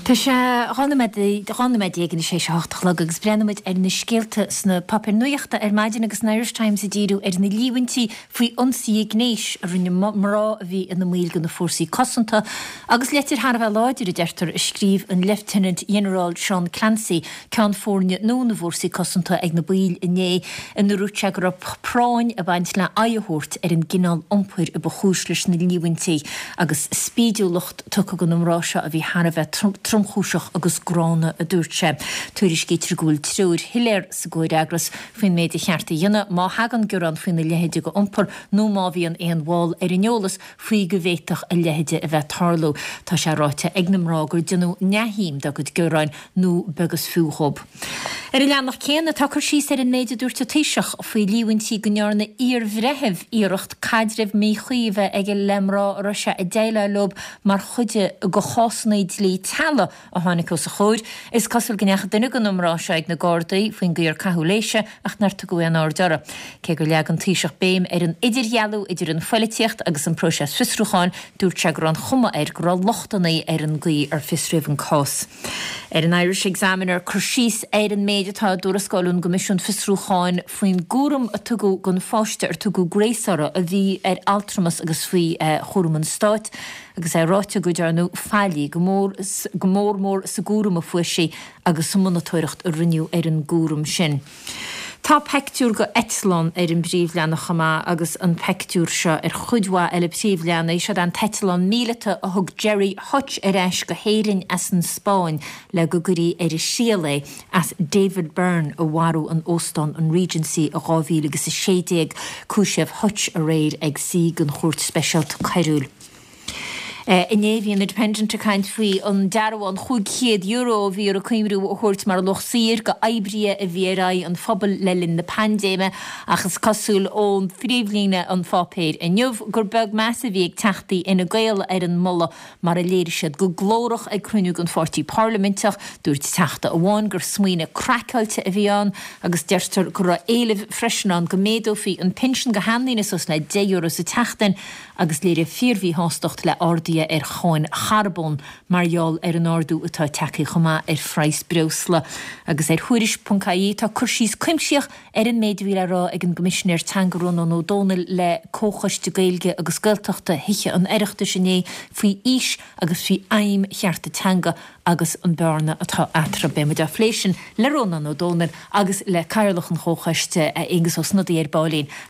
Tá sé 12 nóiméad anois théis a 8 a chlog agus breathnóidh muid ar na scéalta sna páipéir nuachta ar maidin agus an Irish Times ag díriú ar na líomhaintí faoi ionsaithe gnéis a rinne mná a bhí ina mbaill de na fórsaí cosanta agus leitir thar a bheith láidir, a deirtear, a scríobh an Leifteanant-Ghinearál Seán Clancy, Ceann Foirne nua na bhFórsaí Cosanta ag na baill inné ina ndúirt sé go raibh práinn ag baint le aghaidh a thabhairt ar an gcineál iompair a ba chúis leis na líomhaintí agus spídiúlacht tugtha do na mná seo a bhí thar a bheith tromchúiseach agus gránna, a dúirt sé. Tuairiscítear go bhfuil treoir shoiléir sa gcomhfhreagras faoin méid a cheart a dhéanamh má thagann gearán faoina leithéide de iompar nó má bhíonn aon bhall ar an eolas faoi go bhféadfadh a leithéide a bheith ag tarlú. Tá sé ráite ag na mná gur déanadh neamhshuim dá gcuid gearáin nó beag is fiú dhób. Ar an leathanach céanna, tá cur síos ar an méid a dúirt an Taoiseach faoi líomhaintí go ndearna iarbhreitheamh iarracht caidreamh míchuí a bheith aige le mná a raibh sé ag déileáil leo mar chuid de chásanna dlí teaghlaigh a tháinig os a chomhair. Is cosúil go ndeachaigh duine de na mná seo ag na Gardaí faoin gcaoi ar caitheadh léise ach nár tugadh aon aird orthu. Cé gur leag an Taoiseach béim ar an idirdhealú idir an phoilitíocht agus an próiseas fiosrúcháin, dúirt sé go raibh an chuma air go raibh lochtanna ar an gcaoi ar fiosraíodh an cás. Ar an Irish Examiner, cur síos ar an méid atá i dtuarascáil ón gCoimisiún Fiosrúcháin faoin gcúram a tugadh don pháiste ar tugadh Grace uirthi a bhí ar altramas agus faoi chúram an stáit agus é ráite go ndearnadh faillí go mór go mór mór sa gcúram a fuair sí agus sa monatóireacht a rinneadh ar an gcúram sin. Tá peictiúr go eitleán ar an bpríomhleathanach chomh maith agus an peictiúr seo ar chuid mhaith eile príomhleathanaigh. Seod é an t-eitleán míleata a thug Gerry Hutch ar ais go hÉirinn as an Spáinn le go gcuirí ar a thriail é as David Byrne a mharú in Óstán an Regency i 2016. Cúisíodh Hutch aréir ag suí don Chúirt Speisialta Coiriúil. Inné bhí an Independent ag caint faoi an dearbhán €500 a bhí ar an Coimriú a thabhairt mar luach saothair go oibrithe a bhí ar aghaidh an phobail le linn na paindéime ach is cosúil ó phríomhlíne an pháipéir inniu gur beag meas a bhí ag Teachtaí Fhine Gael ar an moladh mar a léirigh siad go glórach ag cruinniú den pháirtí parlaiminteach. Dúirt Teachta amháin gur smaoineamh craiceáilte a bhí ann agus deirtear go raibh éileamh freisin ann go méadófaí an pinsean go sheandaoine suas le €10 sa tseachtain agus léiríodh fíormhíshástacht le arduithe ar cháin charbóin mar gheall ar an ardú atá tagtha chomh maith ar phraghas breosla. Agus ar Thuairisc.ie tá cur síos cuimsitheach ar an méid a bhí le rá ag an gCoimisinéir Teanga Rónán Ó Domhnaill le Comhchoiste Gaeilge agus Gaeltachta Thithe an Oireachtais inné faoi fhís agus faoi aidhm chearta teanga agus an bearna atá eatarthu. Beidh muid á phlé sin le Rónán Ó Domhnaill agus le Cathaoirleach an Chomhchoiste, Aengus Ó Snodaigh ar baillín.